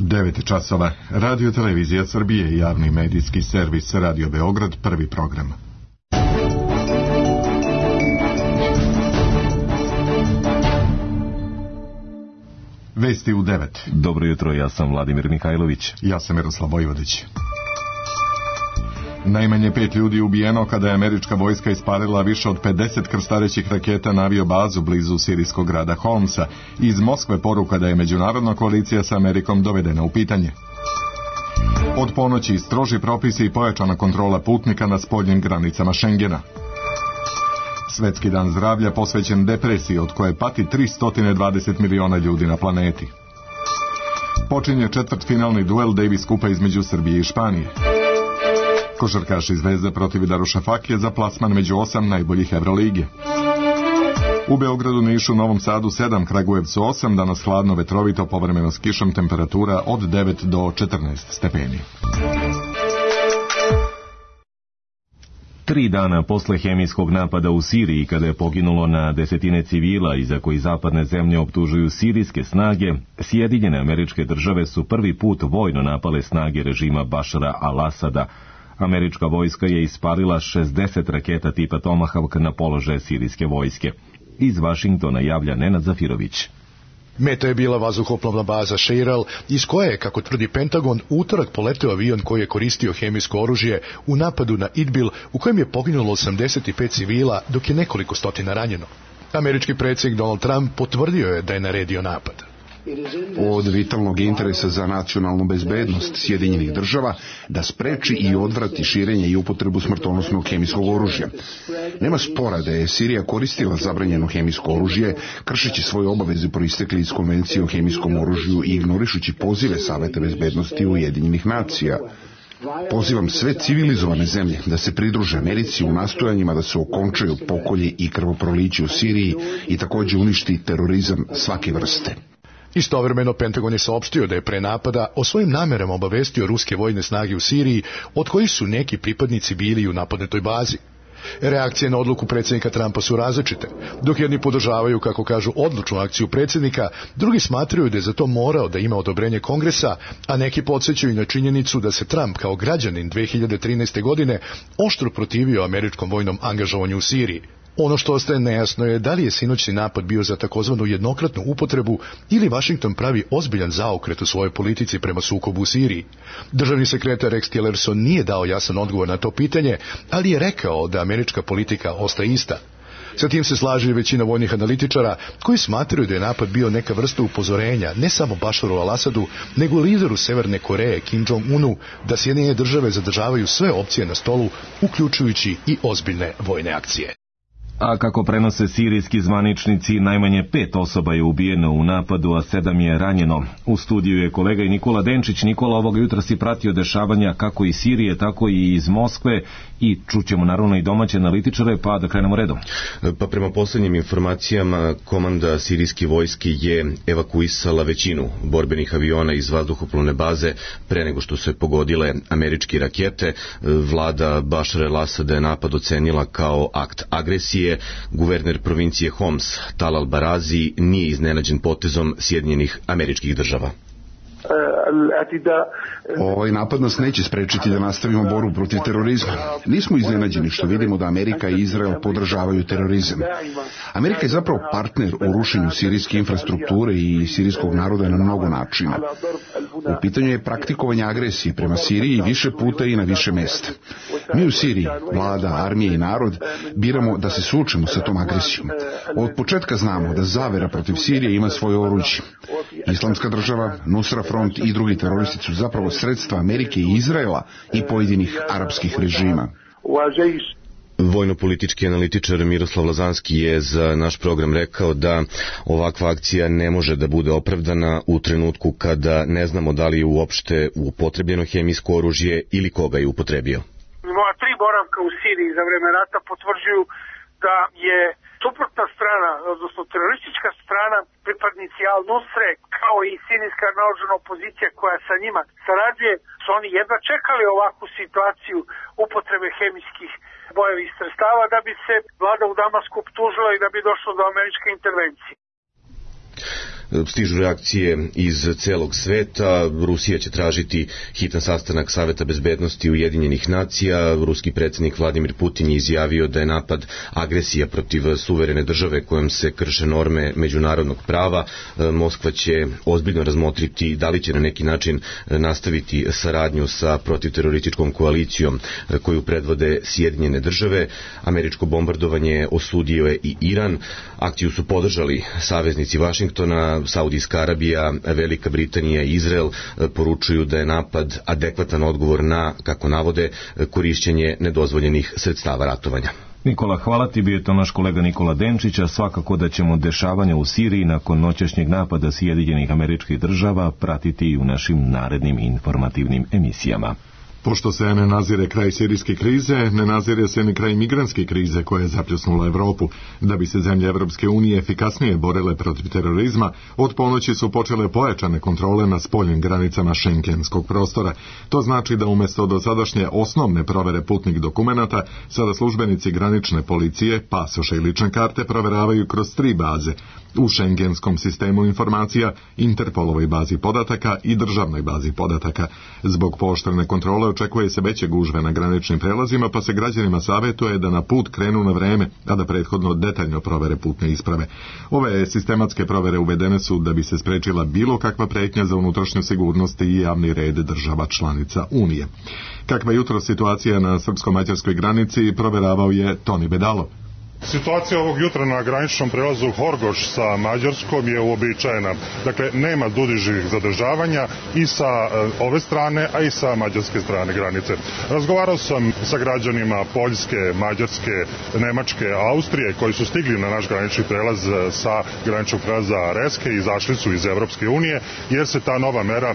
9 časova. Radio Televizija Srbije i javni medijski servis Radio Beograd, prvi program. Vesti u 9. Dobro jutro, ja sam Vladimir Mihajlović. Ja sam Miroslav Vojvodić. Najmanje 5 ljudi ubijeno kada je američka vojska ispalila više od 50 krstarećih raketa na aviobazu blizu sirijskog grada Homsa. Iz Moskve poruka da je međunarodna koalicija sa Amerikom dovedena u pitanje. Od ponoći stroži propisi i pojačana kontrola putnika na spoljnim granicama Šengena. Svetski dan zdravlja posvećen depresiji od koje pati 320 miliona ljudi na planeti. Počinje četvrtfinalni duel Davis Kupa između Srbije i Španije. Košarkaši Zvezde protiv Darušafakije za plasman među 8 najboljih Evrolige. U Beogradu, Nišu, Novom Sadu 7, Kragujevcu 8, danas hladno, vetrovito, povremeno s kišom, temperatura od 9 do 14 stepeni. 3 dana posle hemijskog napada u Siriji, kada je poginulo na desetine civila i za koji zapadne zemlje optužuju sirijske snage, Sjedinjene Američke Države su prvi put vojno napale snage režima Bašara al-Asada. Američka vojska je ispalila 60 raketa tipa Tomahawk na položaje sirijske vojske. Iz Vašingtona javlja Nenad Zafirović. Meta je bila vazduhoplovna baza Šeiral, iz koje je, kako tvrdi Pentagon, utorak poleteo avion koji je koristio hemijsko oružje u napadu na Idbil, u kojem je poginulo 85 civila, dok je nekoliko stotina ranjeno. Američki predsjednik Donald Trump potvrdio je da je naredio napad. Od vitalnog interesa za nacionalnu bezbednost Sjedinjenih Država da spreči i odvrati širenje i upotrebu smrtonosnog hemijskog oružja. Nema spora da je Sirija koristila zabranjeno hemijsko oružje, kršeći svoje obaveze proistekle iz Konvencije o hemijskom oružju i ignorišući pozive Saveta bezbednosti Ujedinjenih nacija. Pozivam sve civilizovane zemlje da se pridruže Americi u nastojanjima da se okončaju pokolji i krvoproliće u Siriji i također uništi terorizam svake vrste. Istovremeno, Pentagon je saopštio da je pre napada o svojim namerama obavestio ruske vojne snage u Siriji, od kojih su neki pripadnici bili u napadnutoj bazi. Reakcije na odluku predsjednika Trumpa su različite. Dok jedni podržavaju, kako kažu, odlučnu akciju predsjednika, drugi smatraju da je za to morao da ima odobrenje Kongresa, a neki podsjećaju na činjenicu da se Trump kao građanin 2013. godine oštro protivio američkom vojnom angažovanju u Siriji. Ono što ostaje nejasno je da li je sinoćni napad bio za takozvanu jednokratnu upotrebu ili Washington pravi ozbiljan zaokret u svojoj politici prema sukobu u Siriji. Državni sekretar Rex Tillerson nije dao jasan odgovor na to pitanje, ali je rekao da američka politika ostaje ista. Sa tim se slaže i većina vojnih analitičara koji smatraju da je napad bio neka vrsta upozorenja ne samo Bašaru al-Asadu, nego lideru Severne Koreje Kim Jong-unu da Sjedinjene Države zadržavaju sve opcije na stolu, uključujući i ozbiljne vojne akcije. A kako prenose sirijski zvaničnici, najmanje 5 osoba je ubijeno u napadu, a 7 je ranjeno. U studiju je kolega i Nikola Denčić. Nikola, ovoga jutra si pratio dešavanja kako iz Sirije, tako i iz Moskve i čućemo naravno i domaće analitičare, pa da krenemo redom. Pa prema posljednjim informacijama, komanda sirijske vojske je evakuisala većinu borbenih aviona iz vazduhoplovne baze pre nego što se pogodile američke rakete. Vlada Bašara al-Asada je napad ocenila kao akt agresije. Guverner provincije Homs, Tal al-Barazi, nije iznenađen potezom Sjedinjenih Američkih Država. Ovaj napad nas neće sprečiti da nastavimo borbu protiv terorizma. Nismo iznenađeni što vidimo da Amerika i Izrael podržavaju terorizam. Amerika je zapravo partner u rušenju sirijske infrastrukture i sirijskog naroda na mnogo načina. U pitanju je praktikovanje agresije prema Siriji više puta i na više mjesta. Mi u Siriji, vlada, armija i narod, biramo da se suočimo sa tom agresijom. Od početka znamo da zavera protiv Sirije ima svoje oruđe. Islamska država, Nusra Front i drugi teroristi su zapravo sredstva Amerike i Izraela i pojedinih arapskih režima. Vojno-politički analitičar Miroslav Lazanski je za naš program rekao da ovakva akcija ne može da bude opravdana u trenutku kada ne znamo da li je uopšte upotrebljeno hemijsko oružje ili koga je upotrebio. Moja 3 boravka u Siriji za vreme rata potvrđuju da je suprotna strana, odnosno teroristička strana, pripadnici Al-Nusre, kao i sirijska naoružana opozicija koja sa njima sarađuje, su oni jedva čekali ovakvu situaciju upotrebe hemijskih bojevih sredstava da bi se vlada u Damasku optužila i da bi došlo do američke intervencije. Stižu reakcije iz celog sveta. Rusija će tražiti hitan sastanak Saveta bezbednosti Ujedinjenih nacija. Ruski predsjednik Vladimir Putin je izjavio da je napad agresija protiv suverene države kojom se krše norme međunarodnog prava. Moskva će ozbiljno razmotriti da li će na neki način nastaviti saradnju sa protivterorističkom koalicijom koju predvode Sjedinjene države. Američko bombardovanje osudio je i Iran. Akciju su podržali saveznici Vašingtona, Saudijska Arabija, Velika Britanija i Izrael. Poručuju da je napad adekvatan odgovor na, kako navode, korišćenje nedozvoljenih sredstava ratovanja. Nikola, hvala ti, bio je to naš kolega Nikola Denčića. Svakako da ćemo dešavanja u Siriji nakon noćašnjeg napada Sjedinjenih Američkih Država pratiti i u našim narednim informativnim emisijama. Pošto se ne nazire kraj sirijske krize, ne nazire se ni kraj migrantske krize koja je zapljusnula Evropu. Da bi se zemlje Evropske unije efikasnije borile protiv terorizma, od ponoći su počele pojačane kontrole na spoljnim granicama šengenskog prostora. To znači da umjesto dosadašnje osnovne provere putnih dokumenata, sada službenici granične policije, pasoše i lične karte proveravaju kroz 3 baze. U šengenskom sistemu informacija, Interpolovoj bazi podataka i državnoj bazi podataka. Zbog pooštrene kontrole očekuje se veće gužve na graničnim prelazima, pa se građanima savjetuje da na put krenu na vreme, a da prethodno detaljno provere putne isprave. Ove sistematske provere uvedene su da bi se sprečila bilo kakva pretnja za unutrašnju sigurnost i javni red država članica Unije. Kakva je jutro situacija na srpsko-mađarskoj granici, proveravao je Toni Bedalo. Situacija ovog jutra na graničnom prelazu Horgoš sa Mađarskom je uobičajena. Dakle, nema dužih zadržavanja i sa ove strane, a i sa mađarske strane granice. Razgovarao sam sa građanima Poljske, Mađarske, Nemačke, Austrije koji su stigli na naš granični prelaz sa graničnog prelaza Reske i izašli su iz Evropske unije, jer se ta nova mera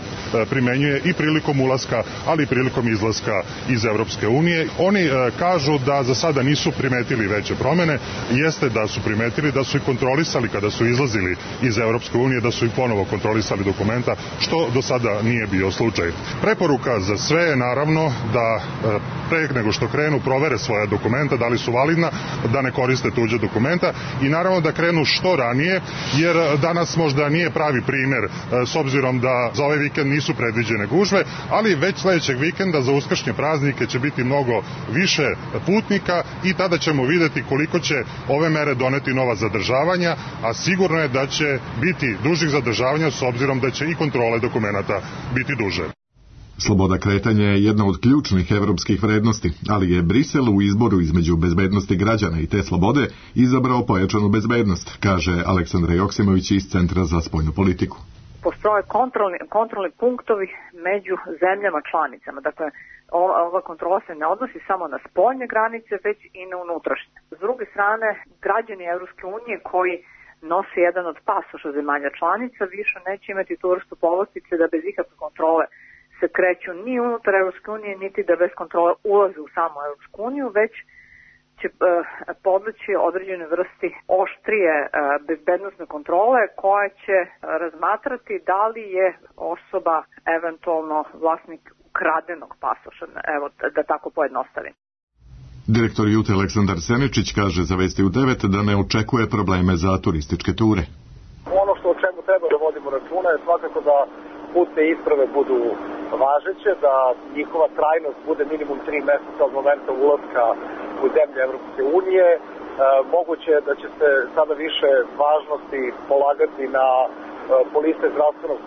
primenjuje i prilikom ulaska, ali i prilikom izlaska iz Evropske unije. Oni kažu da za sada nisu primetili veće promene. Jeste da su primetili da su i kontrolisali kada su izlazili iz Evropske unije, da su i ponovo kontrolisali dokumenta, što do sada nije bio slučaj. Preporuka za sve je naravno da pre nego što krenu provere svoja dokumenta, da li su validna, da ne koriste tuđe dokumenta i naravno da krenu što ranije, jer danas možda nije pravi primer s obzirom da za ovaj vikend nisu predviđene gužve, ali već sledećeg vikenda za uskršnje praznike će biti mnogo više putnika i tada ćemo videti koliko će ove mere doneti nova zadržavanja, a sigurno je da će biti dužih zadržavanja s obzirom da će i kontrole dokumenata biti duže. Sloboda kretanja je jedna od ključnih evropskih vrednosti, ali je Brisel u izboru između bezbednosti građana i te slobode izabrao pojačanu bezbednost, kaže Aleksandra Joksimović iz Centra za spoljnu politiku. Postoje kontrolni punktovi među zemljama članicama, dakle ova kontrola se ne odnosi samo na spoljne granice, već i na unutrašnje. S druge strane, građani Evropske unije koji nose jedan od pasoša zemalja članica više neće imati tu vrstu povlastice da bez ikakve kontrole se kreću ni unutar Evropske unije, niti da bez kontrole ulaze u samu Evropsku uniju, već će podleći određene vrsti oštrije bezbednosne kontrole koja će razmatrati da li je osoba eventualno vlasnik ukradenog pasoša, evo da tako pojednostavim. Direktor Jute Aleksandar Seničić kaže za Vesti u 9 da ne očekuje probleme za turističke ture. Ono što o čemu treba da vodimo računa je svakako da putne isprave budu važeće, da njihova trajnost bude minimum 3 meseca od momenta ulaska u zemlje Evropske unije. Moguće je da će se sada više važnosti polagati na polise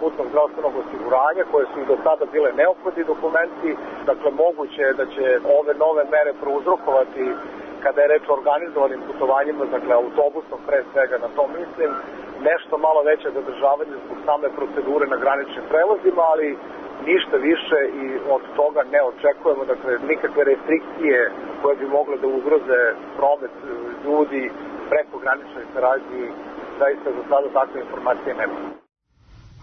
putnog zdravstvenog osiguranja, koje su i do sada bile neophodni dokumenti. Dakle, moguće je da će ove nove mere prouzrokovati, kada je reč o organizovanim putovanjima, dakle autobusom pre svega, na to mislim, nešto malo veće zadržavanje zbog same procedure na graničnim prelazima, ali ništa više i od toga ne očekujemo, dakle nikakve restrikcije koje bi mogle da ugroze promet ljudi preko graničnoj saradnji, zaista za sada takve informacije nema.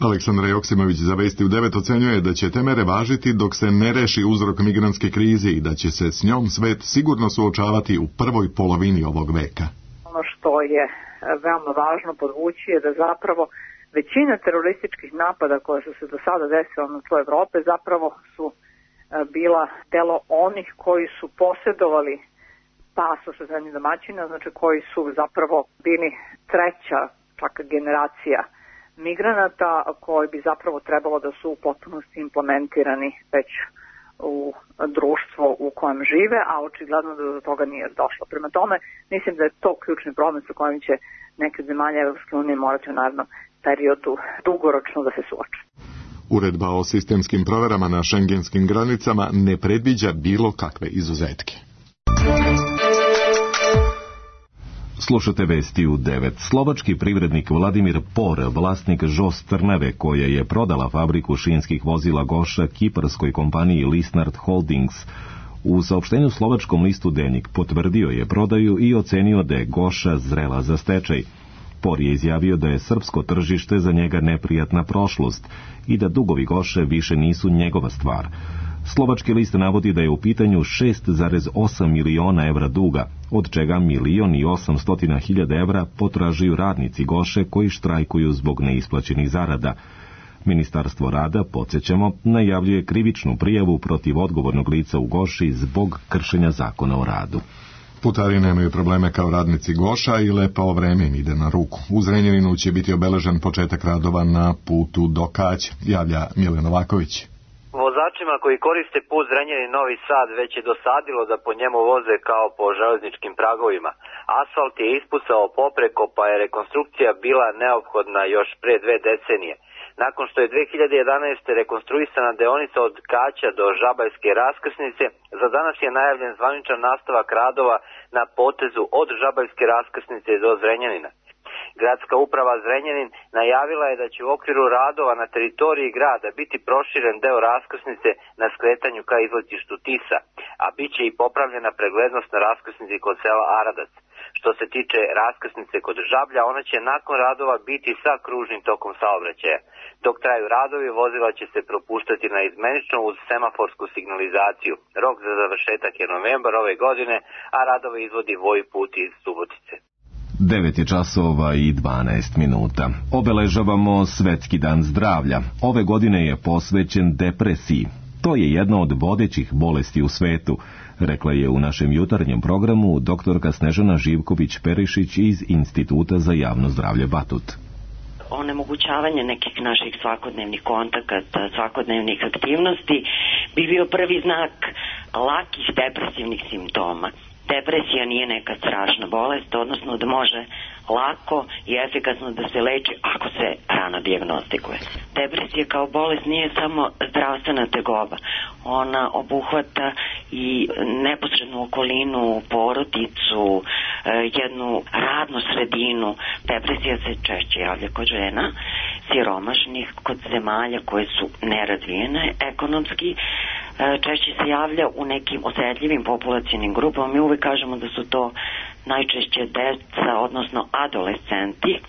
Aleksandra Joksimović za Vesti u 9 ocenjuje da će te mere važiti dok se ne reši uzrok migrantske krize i da će se s njom svet sigurno suočavati u prvoj polovini ovog veka. Ono što je veoma važno podvući je da zapravo većina terorističkih napada koje su se do sada desila na tlu Evrope zapravo su bila delo onih koji su posjedovali pasoš zemlje domaćina, znači koji su zapravo bili treća čak generacija migranata koji bi zapravo trebalo da su u potpunosti implementirani već u društvo u kojem žive, a očigledno da do toga nije došlo. Prema tome, mislim da je to ključni problem sa kojim će neke zemalje Evropske unije morati u narednom periodu dugoročno da se suoče. Uredba o sistemskim proverama na šengenskim granicama ne predviđa bilo kakve izuzetke. Slušate vesti u 9. Slovački privrednik Vladimir Por, vlasnik Žos Trnave, koja je prodala fabriku šinskih vozila Goša kiparskoj kompaniji Lisnard Holdings, u saopštenju slovačkom listu Denik potvrdio je prodaju i ocenio da je Goša zrela za stečaj. Por je izjavio da je srpsko tržište za njega neprijatna prošlost i da dugovi Goše više nisu njegova stvar. Slovački list navodi da je u pitanju 6,8 miliona evra duga, od čega 1.800.000 evra potražuju radnici Goše koji štrajkuju zbog neisplaćenih zarada. Ministarstvo rada, podsjećamo, najavljuje krivičnu prijavu protiv odgovornog lica u Goši zbog kršenja zakona o radu. Putari nemaju probleme kao radnici Goša i lepo vreme im ide na ruku. U Zrenjaninu će biti obeležen početak radova na putu do Kaća, javlja Milan Novaković. Vozačima koji koriste put Zrenjanin-Novi Sad već je dosadilo da po njemu voze kao po železničkim pragovima. Asfalt je ispucao popreko, pa je rekonstrukcija bila neophodna još pre 2 decenije. Nakon što je 2011. rekonstruisana deonica od Kaća do Žabajske raskrsnice, za danas je najavljen zvaničan nastavak radova na potezu od Žabajske raskrsnice do Zrenjanina. Gradska uprava Zrenjanin najavila je da će u okviru radova na teritoriji grada biti proširen deo raskrsnice na skretanju ka izletištu Tisa, a bit će i popravljena preglednost na raskrsnici kod sela Aradac. Što se tiče raskrsnice kod Žablja, ona će nakon radova biti sa kružnim tokom saobraćaja. Dok traju radovi, vozila će se propuštati na izmenično uz semaforsku signalizaciju. Rok za završetak je novembar ove godine, a radove izvodi Vojput iz Subotice. 9 je časova i 12 minuta. Obeležavamo Svetski dan zdravlja. Ove godine je posvećen depresiji. To je jedna od vodećih bolesti u svetu, rekla je u našem jutarnjem programu doktorka Snežana Živković-Perišić iz Instituta za javno zdravlje Batut. Onemogućavanje nekih naših svakodnevnih kontakata, svakodnevnih aktivnosti bi bio prvi znak lakih depresivnih simptoma. Depresija nije neka strašna bolest, odnosno da može lako i efikasno da se leči ako se rano dijagnostikuje. Depresija kao bolest nije samo zdravstvena tegoba. Ona obuhvata i neposrednu okolinu, porodicu, jednu radnu sredinu. Depresija se češće javlja kod žena, siromašnih, kod zemalja koje su nerazvijene ekonomski. Češće se javlja u nekim osetljivim populacionim grupama. Mi uvek kažemo da su to najčešće deca, odnosno adolescenti,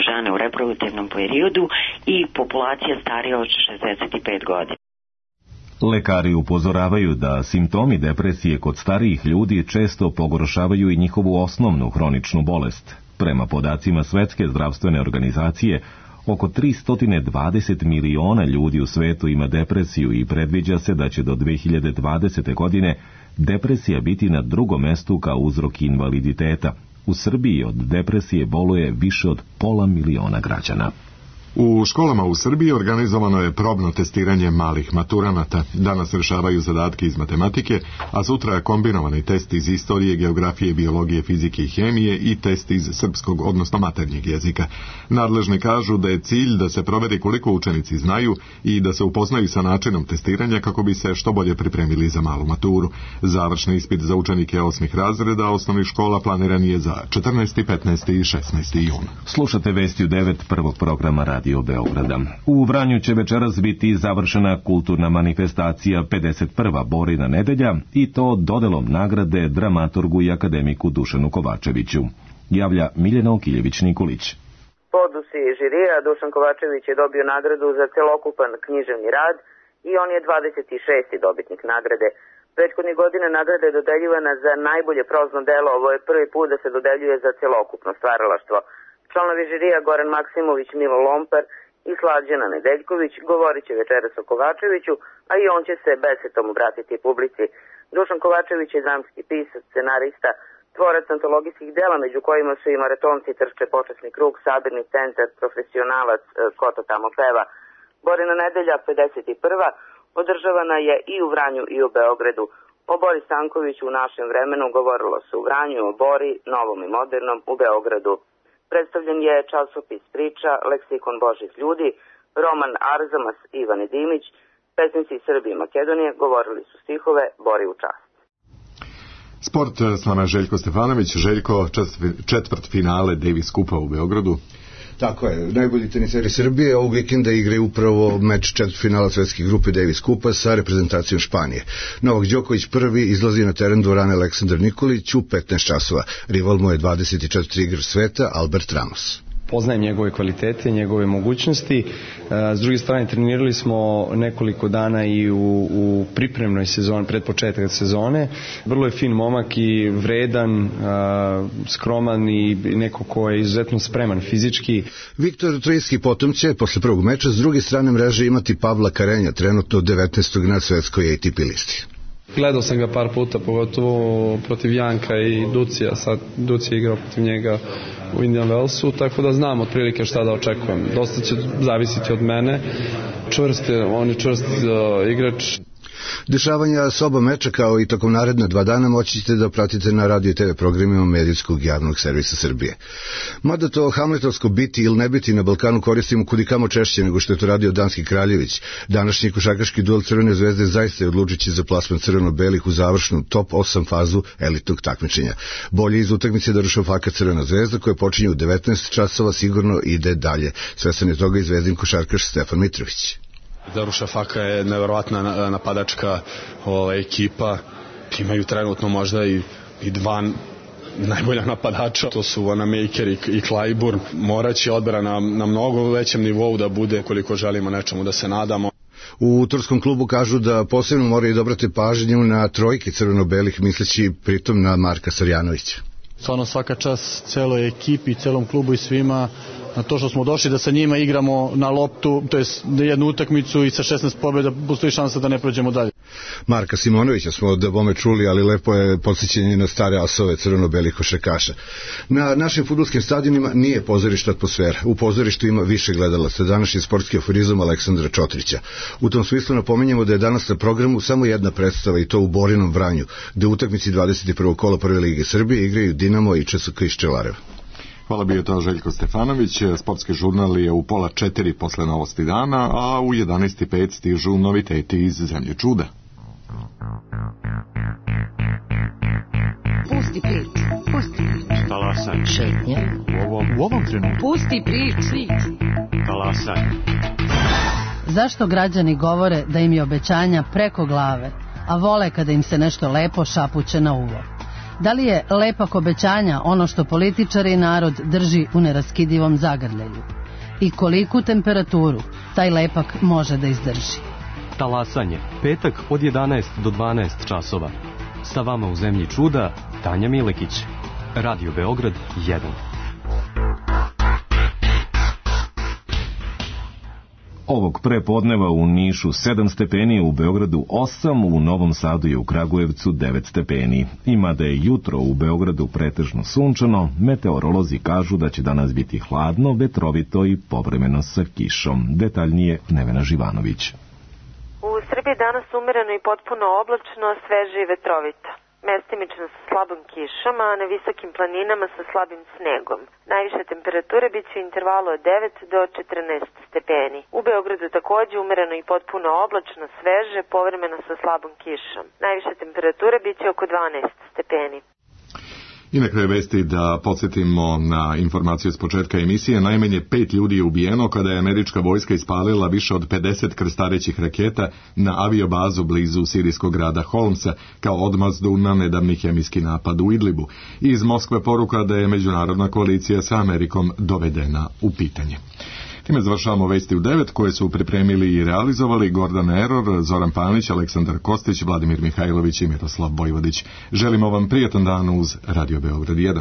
žene u reproduktivnom periodu i populacija starija od 65 godina. Lekari upozoravaju da simptomi depresije kod starijih ljudi često pogoršavaju i njihovu osnovnu hroničnu bolest. Prema podacima Svetske zdravstvene organizacije, oko 320 miliona ljudi u svetu ima depresiju i predviđa se da će do 2020. godine depresija biti na drugom mestu kao uzrok invaliditeta. U Srbiji od depresije boluje više od 500.000 građana. U školama u Srbiji organizovano je probno testiranje malih maturanata. Danas rešavaju zadatke iz matematike, a sutra je kombinovani test iz istorije, geografije, biologije, fizike i hemije i test iz srpskog, odnosno maternjeg jezika. Nadležni kažu da je cilj da se proveri koliko učenici znaju i da se upoznaju sa načinom testiranja kako bi se što bolje pripremili za malu maturu. Završni ispit za učenike 8. razreda osnovnih škola planiran je za 14., 15. i 16. jun. Slušate vesti u 9 prvog programa Radio Beograda. U Vranju će večeras biti završena kulturna manifestacija 51. Borina nedelja i to dodelom nagrade dramaturgu i akademiku Dušanu Kovačeviću. Javlja Miljana Okiljević-Nikolić. Po odluci žirija Dušan Kovačević je dobio nagradu za celokupan književni rad i on je 26. dobitnik nagrade. Prethodnih godina nagrada je dodeljivana za najbolje prozno delo, ovo je prvi put da se dodeljuje za celokupno stvaralaštvo. Članovi žirija Goran Maksimović, Milo Lompar i Slađana Nedeljković govorit će večeras o Kovačeviću, a i on će se besetom obratiti publici. Dušan Kovačević je dramski pisac, scenarista, Tvorac antologijskih dela, među kojima su i Maratonci trče počasni krug, Sabirni centar, Profesionalac, Ko to tamo peva. Borina nedelja 51. održavana je i u Vranju i u Beogradu. O Bori Stankoviću u našem vremenu govorilo se u Vranju, o Bori, novom i modernom, u Beogradu. Predstavljen je časopis Priča, leksikon Božih ljudi, roman Arzamas Ivane Dimić, pesnici Srbije i Makedonije govorili su stihove Bori u čast. Sport s nama je Željko Stefanović. Željko, četvrt finale Davis Kupa u Beogradu. Tako je, najbolji teniseri Srbije ovog vikenda igraju upravo meč četvrtfinala svetske grupe Davis Kupa sa reprezentacijom Španije. Novak Đoković prvi izlazi na teren dvorane Aleksandar Nikolić u 15 časova. Rival mu je 24 igrač sveta Albert Ramos. Poznajem njegove kvalitete, njegove mogućnosti. S druge strane, trenirali smo nekoliko dana i u pripremnoj sezoni, pred početak sezone. Vrlo je fin momak i vredan, skroman i neko ko je izuzetno spreman fizički. Viktor Trojski potom će posle prvog meča s druge strane mreže imati Pavla Karenja, trenutno 19. na svetskoj ATP listi. Gledao sam ga par puta, pogotovo protiv Janka i Ducija. Sad Ducija igrao protiv njega u Indian Wellsu, tako da znam otprilike šta da očekujem. Dosta će zavisiti od mene. On je čvrst igrač. Dešavanja s oba meča kao i tokom naredna 2 dana moći ćete da pratite na radio i TV programima medijskog javnog servisa Srbije. Mada to hamletovsko biti ili ne biti na Balkanu koristimo kudikamo češće nego što je to radio Danski Kraljević. Današnji košarkaški duel Crvene zvezde zaista je odlučujući za plasman crveno-belih u završnu top 8 fazu elitnog takmičenja. Bolje iz utakmice Darušafaka Crvena zvezda koja počinje u 19 časova sigurno ide dalje. Svestan je toga i zvezdin košarkaš Stefan Mitrović. Darušafaka je neverovatna napadačka ekipa. Imaju trenutno možda i 2 najbolja napadača. To su Vanamaker i Clyburn. Moraće odbrana na mnogo većem nivou da bude koliko želimo nečemu da se nadamo. U turskom klubu kažu da posebno moraju da obrate pažnju na trojke crveno-belih, misleći pritom na Marka Sarjanovića. Stvarno svaka čast celoj ekipi, celom klubu i svima na to što smo došli da sa njima igramo na loptu, to je jednu utakmicu i sa 16 pobjeda postoji šansa da ne prođemo dalje. Marka Simonovića smo da bome čuli, ali lepo je podsjećanje na stare asove crveno-belih košarkaša. Na našim fudbalskim stadionima nije pozorišta atmosfera. U pozorištu ima više gledalaca. Današnji sportski aforizam Aleksandra Čotrića. U tom smislu napominjemo da je danas na programu samo jedna predstava i to u Borinom Vranju, gde u utakmici 21. kola Prve lige Srbije igraju Dinamo i ČSK iz Čelareva. Hvala, bio to Željko Stefanović. Sportski žurnal je u 3:30 posle novosti dana, a u 11:05 stižu noviteti iz Zemlje čuda. Pusti priču. Talasaj. Šetnja. U ovom trenutku. Pusti priču. Talasaj. Zašto građani govore da im je obećanja preko glave, a vole kada im se nešto lepo šapuće na uvo? Da li je lepak obećanja ono što političari i narod drži u neraskidivom zagrljaju? I koliku temperaturu taj lepak može da izdrži? Talasanje, petak od 11 do 12 časova. Sa vama u Zemlji čuda, Tanja Milekić. Radio Beograd 1. Ovog prepodneva u Nišu 7 stepeni, u Beogradu 8, u Novom Sadu i u Kragujevcu 9 stepeni. Ima da je jutro u Beogradu pretežno sunčano, meteorolozi kažu da će danas biti hladno, vetrovito i povremeno sa kišom. Detaljnije Nevena Živanović. U Srbiji danas umereno i potpuno oblačno, sveže i vetrovito. Mestimično sa slabom kišom, a na visokim planinama sa slabim snegom. Najviše temperature bit će u intervalu od 9 do 14 stepeni. U Beogradu takođe umereno i potpuno oblačno, sveže, povremeno sa slabom kišom. Najviše temperature bit će oko 12 stepeni. I na kraju vesti da podsjetimo na informaciju s početka emisije. Najmanje 5 ljudi je ubijeno kada je američka vojska ispalila više od 50 krstarećih raketa na aviobazu blizu sirijskog grada Holmsa kao odmazdu na nedavni hemijski napad u Idlibu. Iz Moskve poruka da je međunarodna koalicija sa Amerikom dovedena u pitanje. Time završavamo vesti u 9 koje su pripremili i realizovali Gordan Eror, Zoran Panić, Aleksandar Kostić, Vladimir Mihajlović i Miroslav Bojvodić. Želimo vam prijatan dan uz Radio Beograd 1.